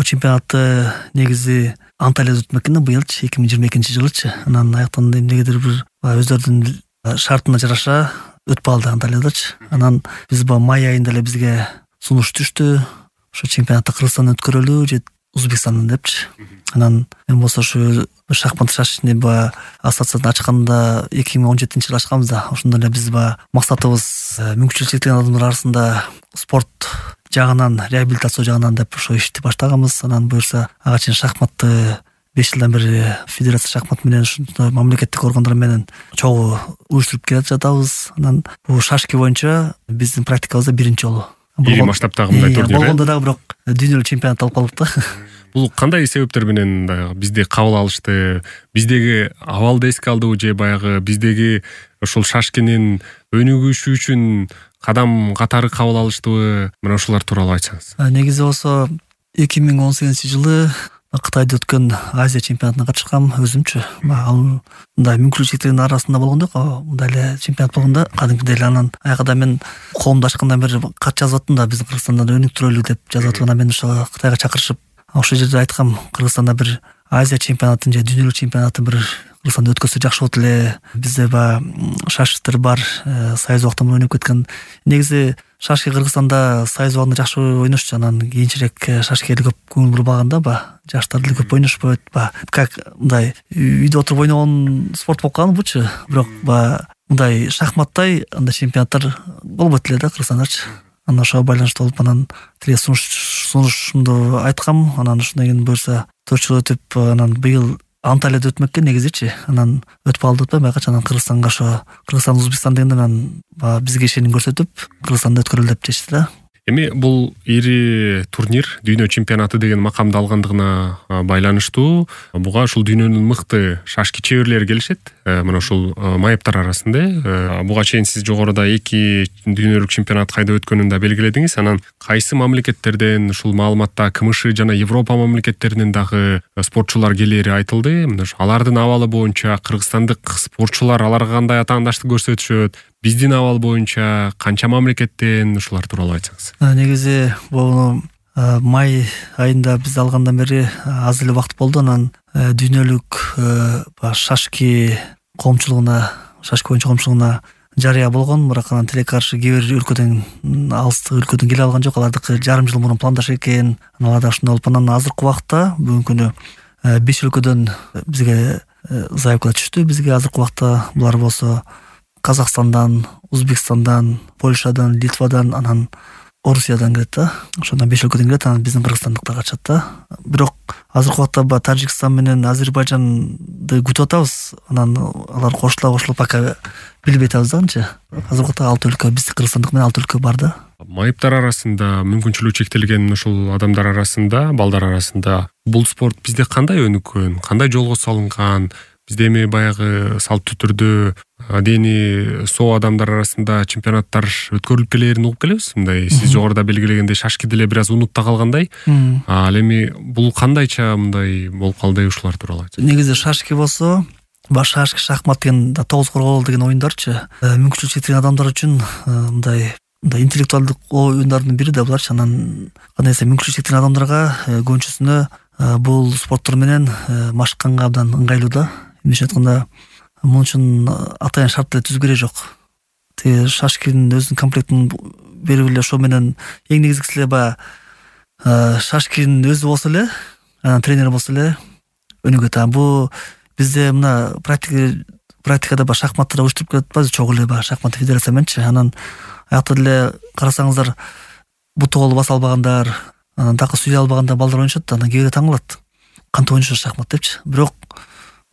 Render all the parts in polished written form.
чемпионатты негизи Анталияда өтмөк экен быйылчы 2022-жылычы. Анан аяктан эмнегедир бир өздөрүнүн шартына жараша өтүп алды Анталиядачы. Анан биз май айында эле бизге сунуш түштү. Ошо чемпионатты Кыргызстанда өткөрөлү же Өзбекстанда депчи. Анан мен болсо ушу шахмат шашечный ассоциацияны ачканда 2017-жылы ачканбыз да. Ошондо эле биз максатыбыз мүмкүнчүлүгү чектелген адамдар арасында спорт жагынан, реабилитация жагынан деп ошо ишти баштаганбыз. Анан буюрса ага чейин шахматты 5 жылдан бери федерация шахмат менен ушундай мамлекеттик органдар менен чогуу уюштуруп келе жатабыз. Анан бул шашки боюнча биздин практикабызда биринчи жолу. Ири масштабтагы мындай турнир. Болгондо дагы бирок дүйнөлүк чемпионат алып калдык да. Бул кандай себептер менен бизде кабыл алышты? Биздеги абалды эске алдыбы же баягы биздеги ошол шашкинин өнүгүшү үчүн кадам катары кабыл алыштыбы? Мына ушулар тууралуу айтсаңыз. Негизи болсо 2018-жылы Кытайда өткөн Азия чемпионатына катышкам өзүмчү. Ал мындай мүмкүнчүлүгү чектелген арасында болгондо, мындай эле чемпионат болгондо кадимкидей эле анан аягда мен коомду ачкандан бери кат жазып аттым да, биздин Кыргызстандан өнүктүрөлү деп жазып аттым. Анан мен ошо Кытайга чакырышып, ошол жерде айткам, Кыргызстанда бир Азия чемпионатын же дүйнөлүк чемпионатын бир Кыргызстанда өткөзсө жакшы болот эле. Бизде шашистер бар, союз убактан ойноп кеткен. Негизи шашки Кыргызстанда союз убагында жакшы ойношчу. Анан кийинчерээк шашкиге көп көңүл бурбаганда жаштар деле көп ойношпойт. Как мындай үйдө отуруп ойногон спорт болуп калган бучу. Бирок мындай шахматтай андай чемпионаттар болбойт эле да Кыргызстандачы. Анан ошого байланыштуу болуп, анан тиги сунушумду айткам. Анан ошондон кийин буюрса 4 жыл өтүп, анан быйыл Анталияда өтмөккө негизичи. Анан өтүп алды деп байкачы. Анан Кыргызстанга Кыргызстан, Өзбекстан дегенде анан бизге ишеним көрсөтүп, Кыргызстанда өткөрөлү деп чечти да. Эми бул ири турнир дүйнө чемпионаты деген макамды алгандыгына байланыштуу буга ушул дүйнөнүн мыкты шашки чеберлери келишет. Мына ушул майыптар арасында. Буга чейин сиз жогоруда 2 дүйнөлүк чемпионат кайда өткөнүн да белгиледиңиз. Анан кайсы мамлекеттерден ушул маалыматта КМШ жана Европа мамлекеттеринен дагы спортчулар келери айтылды. Мына алардын абалы боюнча кыргызстандык спортчулар аларга кандай атаандаштык көрсөтүшөт? Биздин абал боюнча канча мамлекеттен, ушулар тууралуу айтсаңыз. Негизи бул май айында биз алгандан бери аз эле убакыт болду. Анан дүйнөлүк шашки коомчулугуна, шашки боюнча коомчулугуна жарыя болгон. Бирок анан тилекке каршы кээ бир өлкөдөн, алыстык өлкөдөн келе алган жок. Алардыкы жарым жыл мурун пландашкан экен. Аларда ушундай болуп, анан азыркы убакта бүгүнкү күнү 5 өлкөдөн бизге заявка түштү. Бизге азыркы убакта булар болсо Казакстандан, Өзбекстандан, Польшадан, Литвадан, анан Орусиядан келет да. Ошондон 5 өлкөдөн келет, анан биздин кыргызстандыктар катышат да. Бирок азыркы убакта Тажикстан менен Азербайжанды күтүп атабыз. Анан алар кошулуп пока билбей атабыз да канча. Азыркы убакта 6 өлкө, биздин кыргызстандык менен 6 өлкө бар да. Майыптар арасында, мүмкүнчүлүгү чектелген ушул адамдар арасында, балдар арасында бул спорт бизде кандай өнүккөн, кандай жолго салынган? Бизде эми баягы салттуу түрдө адени соо адамдар арасында чемпионаттар өткөрүлүп келерин угуп келебиз. Мындай сиз жогоруда белгилегендей шашки деле бир аз унутта калгандай. Ал эми бул кандайча мындай болуп калды, ушулар тууралуу айтсаңыз. Негизи шашки болсо, шашки, шахмат деген 9 коргоол деген оюндарчы. Мүмкүнчүлүгү чектелген адамдар үчүн мындай интеллектуалдык оюндардын бири да буларчы. Анан кандай десем, мүмкүнчүлүгү чектелген адамдарга көбүнчөсүнө бул спорттор менен машыкканга абдан ыңгайлуу да. Эмнеше айтканда, мун үчүн атайын шарт деле түзүү керек жок. Тиги шашкинин өзүнүн комплектин берип эле ошо менен эң негизгиси эле шашкинин өзү болсо эле, анан тренер болсо эле өнүгөт. Бул бизде мына практикада шахматты уюштуруп келе атпайбызбы, чогуу эле шахмат федерация мененчи. Анан аякта деле карасаңыздар, буту колу баса албагандар, анан такы сүйлөй албагандар балдар ойношот да. Анан кээ бирөө таң калат, кантип ойношот шахмат депчи. Бирок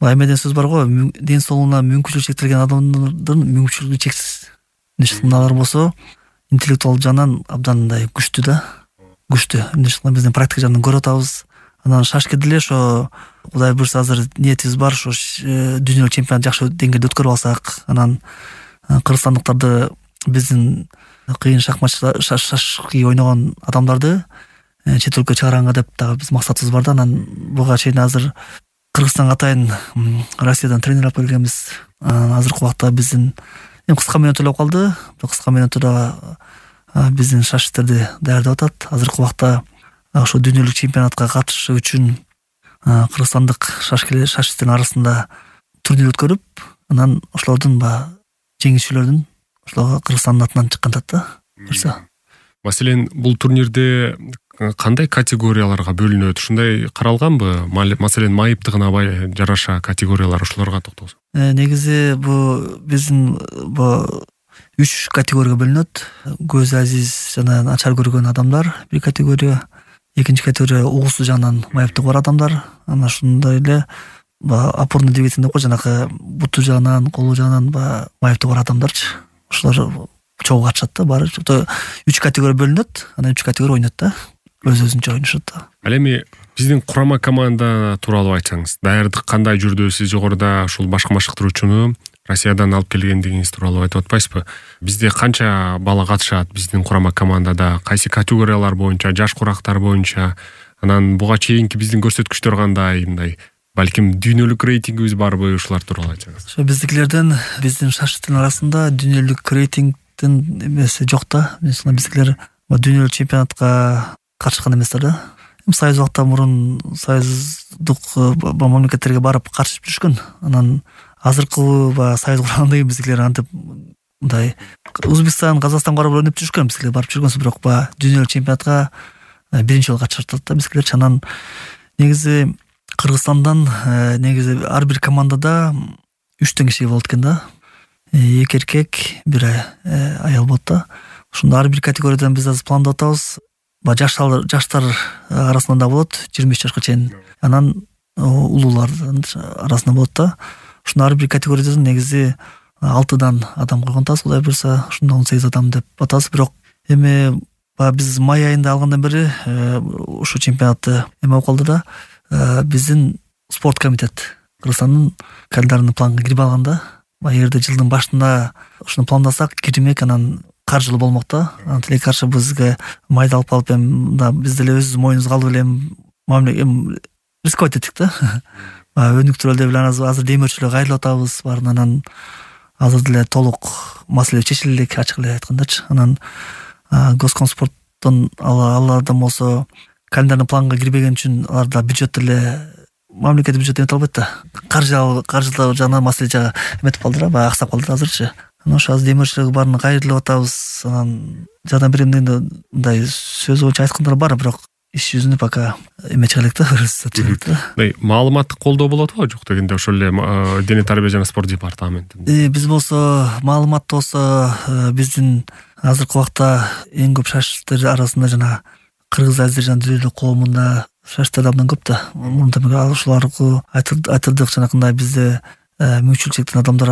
эмеден сөз бар го, ден соолугуна мүмкүнчүлүгү чектелген адамдардын мүмкүнчүлүгү чексиз. Мыналар болсо интеллектуал жагынан абдан мындай күчтүү да, күчтүү. Биздин практика жагынан көрүп атабыз. Анан шашки деле ошо Кудай буйрса азыр ниетибиз бар, ошо дүйнөлүк чемпионат жакшы деңгээлде өткөрүп алсак, анан кыргызстандыктарды, биздин кыйын шашки ойногон адамдарды чет өлкөгө чыгаранга деп дагы биз максатыбыз бар да. Анан буга чейин азыр Кыргызстанга атайын Россиядан тренер алып келгенбиз. Азыркы убакта биздин кыска мөөнөттө болуп калды. Кыска мөөнөттө биздин шашистерди даярдап атат. Азыркы убакта ошо дүйнөлүк чемпионатка катышуу үчүн кыргызстандык шашисттин арасында турнир өткөрүп, анан ошолордун жеңүүчүлөрдүн ошол Кыргызстандын атынан чыккандат да. Маселен, бул турнирде кандай категорияларга бөлүнөт? Ушундай каралганбы? Маселен, майыптыгына жараша категориялар, ошолорго токтолсок. Негизи биздин 3 категорияга бөлүнөт. Көзү азиз жана начар көргөн адамдар бир категория, экинчи категория угусу жагынан майыптыгы бар адамдар, анан ошондой эле опорный двигатель деп коет, жанагы буту жагынан, колу жагынан майыптыгы бар адамдарчы. Ошолор чогуу катышат да, баары 3 категория бөлүнөт, анан 3 категория ойнойт да. Өзүнчө ойношот да. Ал эми биздин курама команда тууралуу айтсаңыз, даярдык кандай жүрдү? Сиз жогоруда ушул башкы машыктыруучуну Россиядан алып келгендигиңиз тууралуу айтып атпайсызбы? Бизде канча бала катышат биздин курама командада? Кайсы категориялар боюнча, жаш курактар боюнча? Анан буга чейинки биздин көрсөткүчтөр кандай? Мындай балким дүйнөлүк рейтингибиз барбы? Ушулар тууралуу айтсаңыз. Ошо биздикилерден биздин шашисттин арасында дүйнөлүк рейтингдин эмеси жок да. Биздикилер дүйнөлүк чемпионатка катышкан эместер да. Союз убакта мурун союздук мамлекеттерге барып катышып жүрүшкөн. Анан азыркы союз кургандан кийин биздикилер антип мындай Өзбекстан, Казакстан барып ойноп жүрүшкөн, биздикилер барып жүргөнсүз, бирок дүйнөлүк чемпионатка биринчи жолу катышат да биздикилер. Анан негизи Кыргызстандан негизи ар бир командада 3 киши болот экен да. 2 эркек, 1 аял болот да. Ошондо ар бир категориядан биз азыр пландап атабыз. Жаштар арасында да болот, 23 жашка чейин. Анан улуулардын арасында болот да. Ошондо ар бир категориядан негизи 6 адам койгон атабыз, Кудай буйрса, ошондо 18 адам деп атабыз. Бирок эми биз май айында алгандан бери ушул чемпионатты болуп калды да. Биздин спорт комитет Кыргызстандын календарный планга кирип алган да. Эгерде жылдын башында ушуну пландасак кирмек, анан каржылуу болмок да. Анан тилекке каршы бизге майды алып биз деле өзүбүздүн моюнубузга алып эле рисковать эттик да. Өнүктүрөлү деп эле азыр демөөрчүлөргө кайрылып атабыз баарын. Анан азыр деле толук маселе чечиле элек, ачык эле айткандачы. Анан Госкомспорттон алардан болсо календарный планга кирбеген үчүн аларда бюджет деле мамлекет бюджет эмете албайт да. Каржылоо жагынан маселе эметип калды да, аксап калды азырчы. Анан ошо азыр демөөрчүлөргө баарына кайрылып атабыз. Анан жардам берем дегенде мындай сөз боюнча айткандар бар, бирок иш жүзүндө пока эме чыга элек да. Маалыматтык колдоо болот го жок дегенде ошол эле дене тарбия жана спорт департаментинде. Биз болсо маалыматты болсо биздин азыркы убакта эң көп шашисттер арасында жана кыргыз азер жана дүйнөлүк коомунда шашисттер абдан көп да. Мурунтан ошолорго айтылдык жанакындай бизде мүмкүнчүлүгү чектелген адамдар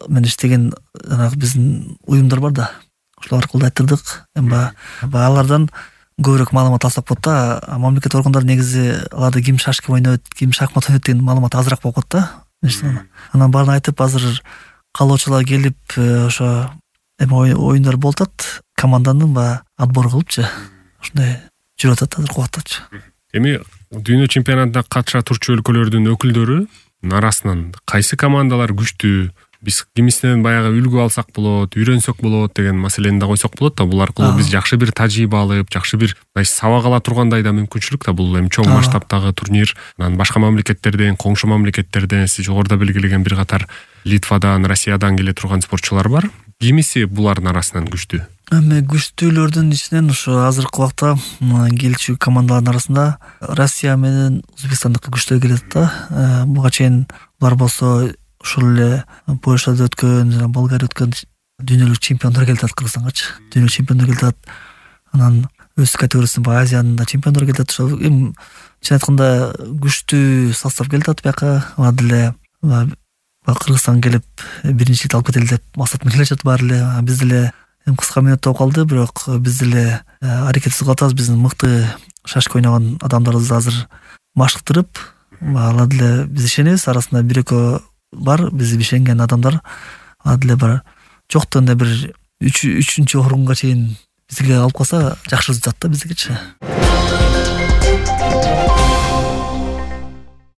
менен иштеген жанагы биздин уюмдар бар да. Ошолор аркылуу айтылдык. Алардан көбүрөөк маалымат алсак болот да. Мамлекет органдары негизи аларда ким шашки ойнойт, ким шахмат ойнойт деген маалымат азыраак болуп калат да. Анан баарын айтып азыр каалоочулар келип ошо оюндар болуп атат, команданын отбор кылыпчы. Ошондой жүрүп атат азыркы убактачы. Эми дүйнө чемпионатына катыша турчу өлкөлөрдүн өкүлдөрү арасынан кайсы командалар күчтүү? Биз кимисинен баягы үлгү алсак болот, үйрөнсөк болот деген маселени да койсок болот да. Бул аркылуу биз жакшы бир тажрыйба алып, жакшы бир сабак ала тургандай да мүмкүнчүлүк да. Бул эми чоң масштабтагы турнир. Анан башка мамлекеттерден, коңшу мамлекеттерден, сиз жогоруда белгилеген бир катар Литвадан, Россиядан келе турган спортчулар бар. Кимиси булардын арасынан күчтүү? Эми күчтүүлөрдүн ичинен ошо азыркы убакта келчү командалардын арасында Россия менен Өзбекстандыкы күчтүү келет да. Буга чейин булар болсо ушул эле Польшада өткөн, жана Болгария өткөн дүйнөлүк чемпиондор келет Кыргызстангачы. Дүйнөлүк чемпиондор келет. Анан өз категориясында Азиянын да чемпиондор келет. Ошо эми чын айтканда күчтүү состав келет бияка. Алар деле Кыргызстанга келип биринчиликти алып кетели деп максат менен келишет баары эле. Биз деле кыска мүнөттө калды, бирок биз деле аракет кылып атабыз. Биздин мыкты шашка ойногон адамдарыбызды азыр машыктырып, алар деле биз ишенебиз. Арасында 1-2 бар биз ишенген адамдар. Алар деле бар жоктон эле бир 3-4 орунга чейин бизге алып калса жакшы өтөт да биздикичи.